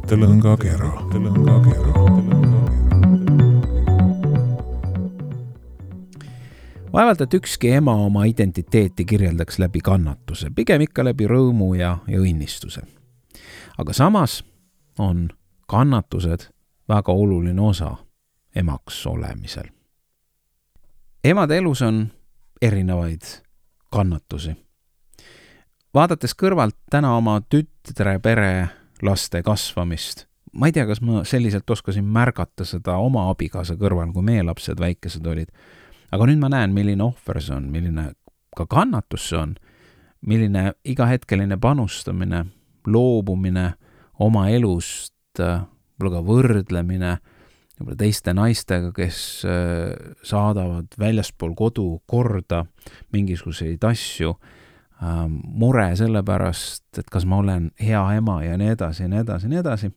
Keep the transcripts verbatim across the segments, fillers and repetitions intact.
Tõlõngakera. Tõlõngakera. Vaevalt, et ükski ema oma identiteeti kirjeldaks läbi kannatuse, pigem ikka läbi rõõmu ja, ja õnnistuse. Aga samas on kannatused väga oluline osa emaks olemisel. Emade elus on erinevaid kannatusi. Vaadates kõrvalt täna oma tütre pere laste kasvamist, ma ei tea, kas ma selliselt oskasin märgata seda oma abikaasa kõrval, kui meie lapsed väikesed olid. Aga nüüd ma näen, milline ohver see on, milline ka kannatus see on, milline igahetkeline panustamine, loobumine oma elust, võib-olla ka võrdlemine võib-olla teiste naistega, kes saadavad väljaspool kodu korda mingisuguseid asju, mure selle pärast, et kas ma olen hea ema ja nii edasi, nii edasi, nii edasi.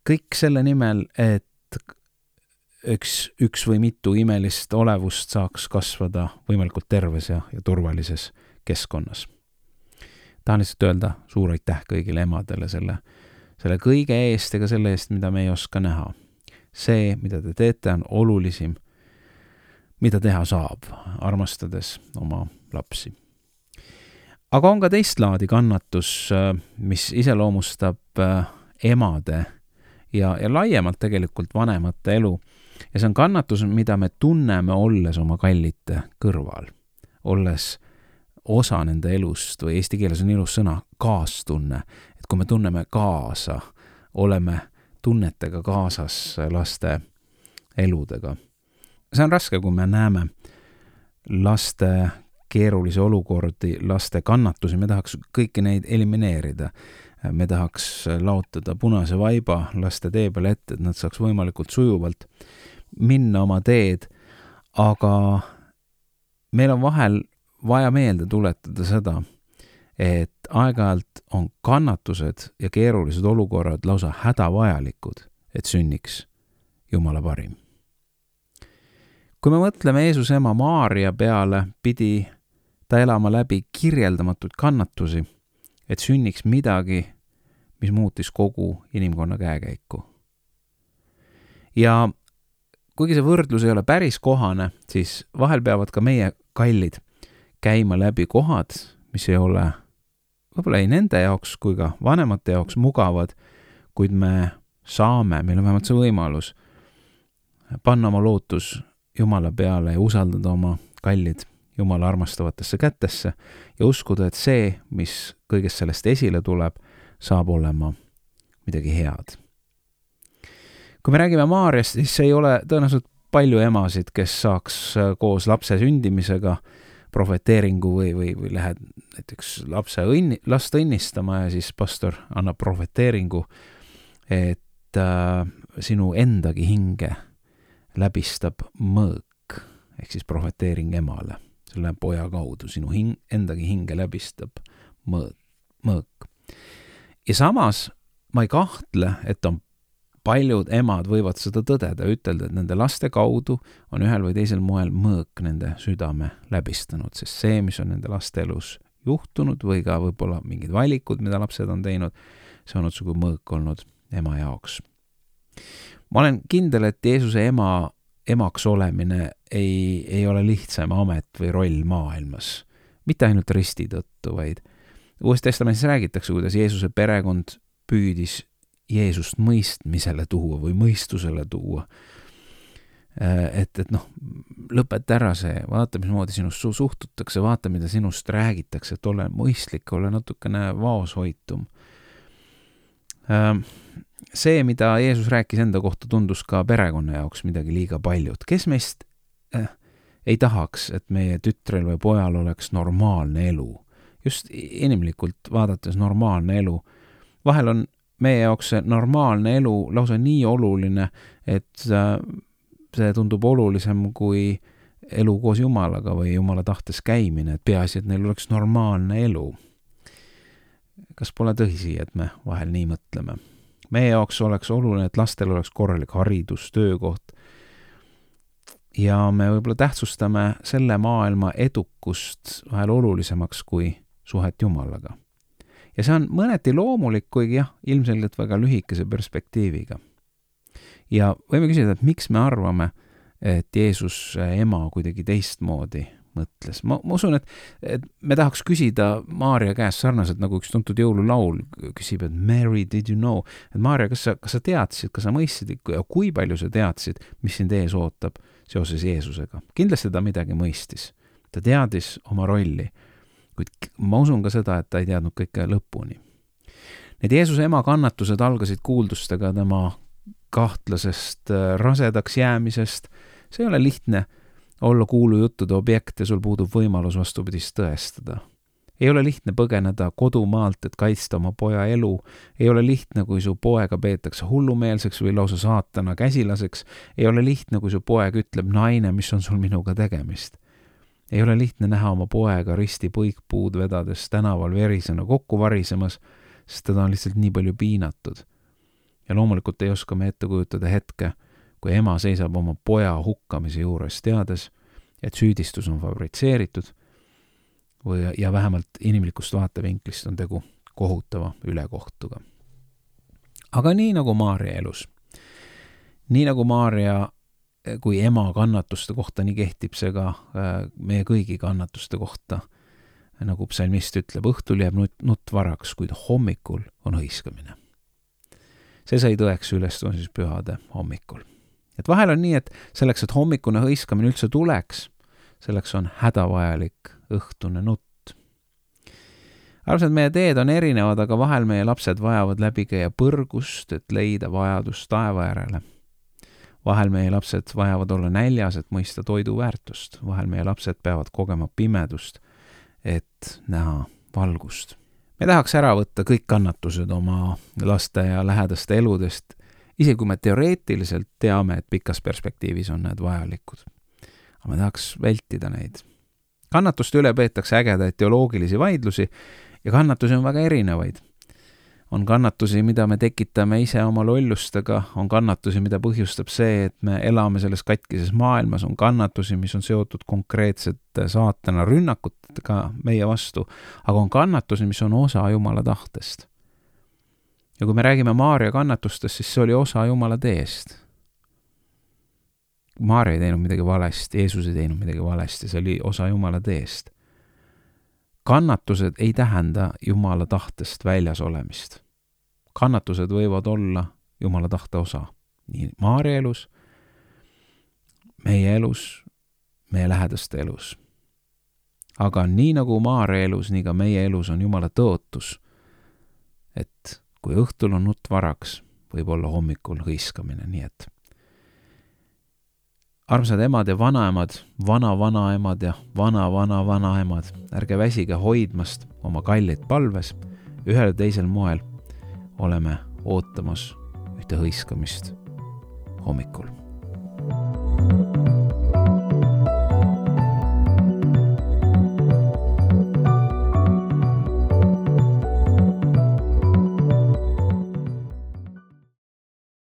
Kõik selle nimel, et üks, üks või mitu imelist olevust saaks kasvada võimalikult terves ja, ja turvalises keskkonnas. Tahan lihtsalt öelda suur aitäh kõigile emadele selle, selle kõige eest ega selle eest, mida me ei oska näha. See, mida te teete, on olulisim, mida teha saab, armastades oma lapsi. Aga on ka teist laadi kannatus, mis iseloomustab emade ja, ja laiemalt tegelikult vanemate elu. Ja see on kannatus, mida me tunneme olles oma kallite kõrval, olles osa nende elust või eesti keeles on ilus sõna kaastunne, et kui me tunneme kaasa, oleme tunnetega kaasas laste eludega. See on raske, kui me näeme laste keerulisi olukordi, laste kannatusi, me tahaks kõiki neid elimineerida. Me tahaks laotada punase vaiba laste tee peale ette, et nad saaks võimalikult sujuvalt minna oma teed, aga meil on vahel vaja meelde tuletada seda, et aeg-ajalt on kannatused ja keerulised olukorrad lausa hädavajalikud, et sünniks Jumala parim. Kui me mõtleme Jeesuse ema Maaria peale, pidi ta elama läbi kirjeldamatud kannatusi, et sünniks midagi, mis muutis kogu inimkonna käekäiku. Ja kuigi see võrdlus ei ole päris kohane, siis vahel peavad ka meie kallid käima läbi kohad, mis ei ole võib-olla ei nende jaoks kui ka vanemate jaoks mugavad, kuid me saame, meil on vähemalt see võimalus panna oma lootus Jumala peale ja usaldada oma kallid Jumala armastavatesse kätesse ja uskuda, et see, mis kõigest sellest esile tuleb, saab olema midagi head. Kui me räägime Maariast, siis ei ole tõenäoliselt palju emasid, kes saaks koos lapse sündimisega profeteeringu või, või, või lähed näiteks lapse õnni, last õnnistama ja siis pastor annab profeteeringu, et äh, sinu endagi hinge läbistab mõõk, ehk siis profeteering emale. Selle poja kaudu sinu hing, endagi hinge läbistab mõõk, mõõk. Ja samas ma ei kahtle, et on paljud emad võivad seda tõdeda ja ütelda, et nende laste kaudu on ühel või teisel moel mõõk nende südame läbistanud, sest see, mis on nende laste elus juhtunud või ka võib-olla mingid valikud, mida lapsed on teinud, see on otsugu mõõk olnud ema jaoks. Ma olen kindel, et Jeesuse ema emaks olemine ei, ei ole lihtsam amet või roll maailmas. Mitte ainult risti tõttu, vaid Uues Testamendis räägitakse, kuidas Jeesuse perekond püüdis Jeesust mõistmisele tuua või mõistusele tuua. Et, et noh, lõpeta ära see, vaata, mismoodi sinust suhtutakse, vaata, mida sinust räägitakse, et ole mõistlik, ole natukene vaoshoitum. See, mida Jeesus rääkis enda kohta, tundus ka perekonna jaoks midagi liiga paljud. Kes meist äh, ei tahaks, et meie tütrel või pojal oleks normaalne elu? Just inimlikult vaadates normaalne elu. Vahel on meie jaoks see normaalne elu lausa nii oluline, et äh, see tundub olulisem kui elu koos Jumalaga või Jumala tahtes käimine, et peaasi, et neil oleks normaalne elu. Kas pole tõsi, et me vahel nii mõtleme? Meie jaoks oleks oluline, et lastel oleks korralik haridus, töökoht ja me võib-olla tähtsustame selle maailma edukust vahel olulisemaks kui suhet Jumalaga. ja see on mõneti loomulik, kuigi jah, ilmselgelt väga lühikese perspektiiviga. Ja võime küsida, et miks me arvame, et Jeesus ema kuidagi teistmoodi mõtles. Ma, ma usun, et, et me tahaks küsida Maarja käest sarnaselt, nagu üks tuntud jõululaul küsib, et Mary, did you know? Et Maarja, kas sa, kas sa teadsid, kas sa mõistsid ja kui palju sa teadsid, mis sind ees ootab seoses Jeesusega? Kindlasti ta midagi mõistis. Ta teadis oma rolli, kuid ma usun ka seda, et ta ei teadnud kõike lõpuni. Need Jeesuse ema kannatused algasid kuuldustega tema kahtlasest rasedaks jäämisest. See ei ole lihtne olla kuulujuttude objekt ja sul puudub võimalus vastupidist tõestada. Ei ole lihtne põgeneda kodumaalt, et kaitsta oma poja elu. Ei ole lihtne, kui su poega peetakse hullumeelseks või lausa saatana käsilaseks. Ei ole lihtne, kui su poeg ütleb, naine, mis on sul minuga tegemist. Ei ole lihtne näha oma poega risti põikpuud vedades tänaval verisena kokku varisemas, sest teda on lihtsalt nii palju piinatud. Ja loomulikult ei oska me ette kujutada hetke, kui ema seisab oma poja hukkamise juures, teades, et süüdistus on fabritseeritud või, ja vähemalt inimlikust vaatevinklist on tegu kohutava ülekohtuga. Aga nii nagu Maarja elus, nii nagu Maarja kui ema kannatuste kohta, nii kehtib see ka meie kõigi kannatuste kohta. Nagu psalmist ütleb, õhtul jääb nutt, nutt varaks, kuid hommikul on hõiskamine. See sai tõeks ülestõusmispühade pühade hommikul. Et vahel on nii, et selleks, et hommikune hõiskamine üldse tuleks, selleks on hädavajalik õhtune nutt. Arvsad, meie teed on erinevad, aga vahel meie lapsed vajavad läbi käia põrgust, et leida vajadust taeva järele. Vahel meie lapsed vajavad olla näljas, et mõista toidu väärtust. Vahel meie lapsed peavad kogema pimedust, et näha valgust. Me tahaks ära võtta kõik kannatused oma laste ja lähedaste eludest, isegi kui me teoreetiliselt teame, et pikas perspektiivis on need vajalikud. Aga me tahaks vältida neid. Kannatuste üle peetakse ägedaid teoloogilisi vaidlusi ja kannatusi on väga erinevaid. On kannatusi, mida me tekitame ise oma lollustega, on kannatusi, mida põhjustab see, et me elame selles katkises maailmas, on kannatusi, mis on seotud konkreetsete saatana rünnakutega meie vastu, aga on kannatusi, mis on osa Jumala tahtest. Ja kui me räägime Maarja kannatustest, siis see oli osa Jumala teest. Maarja ei teinud midagi valesti, Jeesus ei teinud midagi valesti, see oli osa Jumala teest. Kannatused ei tähenda Jumala tahtest väljas olemist. Kannatused võivad olla Jumala tahte osa. Nii Maarja elus, meie elus, meie lähedaste elus. Aga nii nagu Maarja elus, nii ka meie elus on Jumala tõotus, et kui õhtul on nutt varaks, võib olla hommikul hõiskamine, nii et armsad emad ja vanaemad, vana-vanaemad ja vana-vana-vanaemad, ärge väsige hoidmast oma kallid palves, ühel teisel moel oleme ootamas ühte hõiskamist hommikul.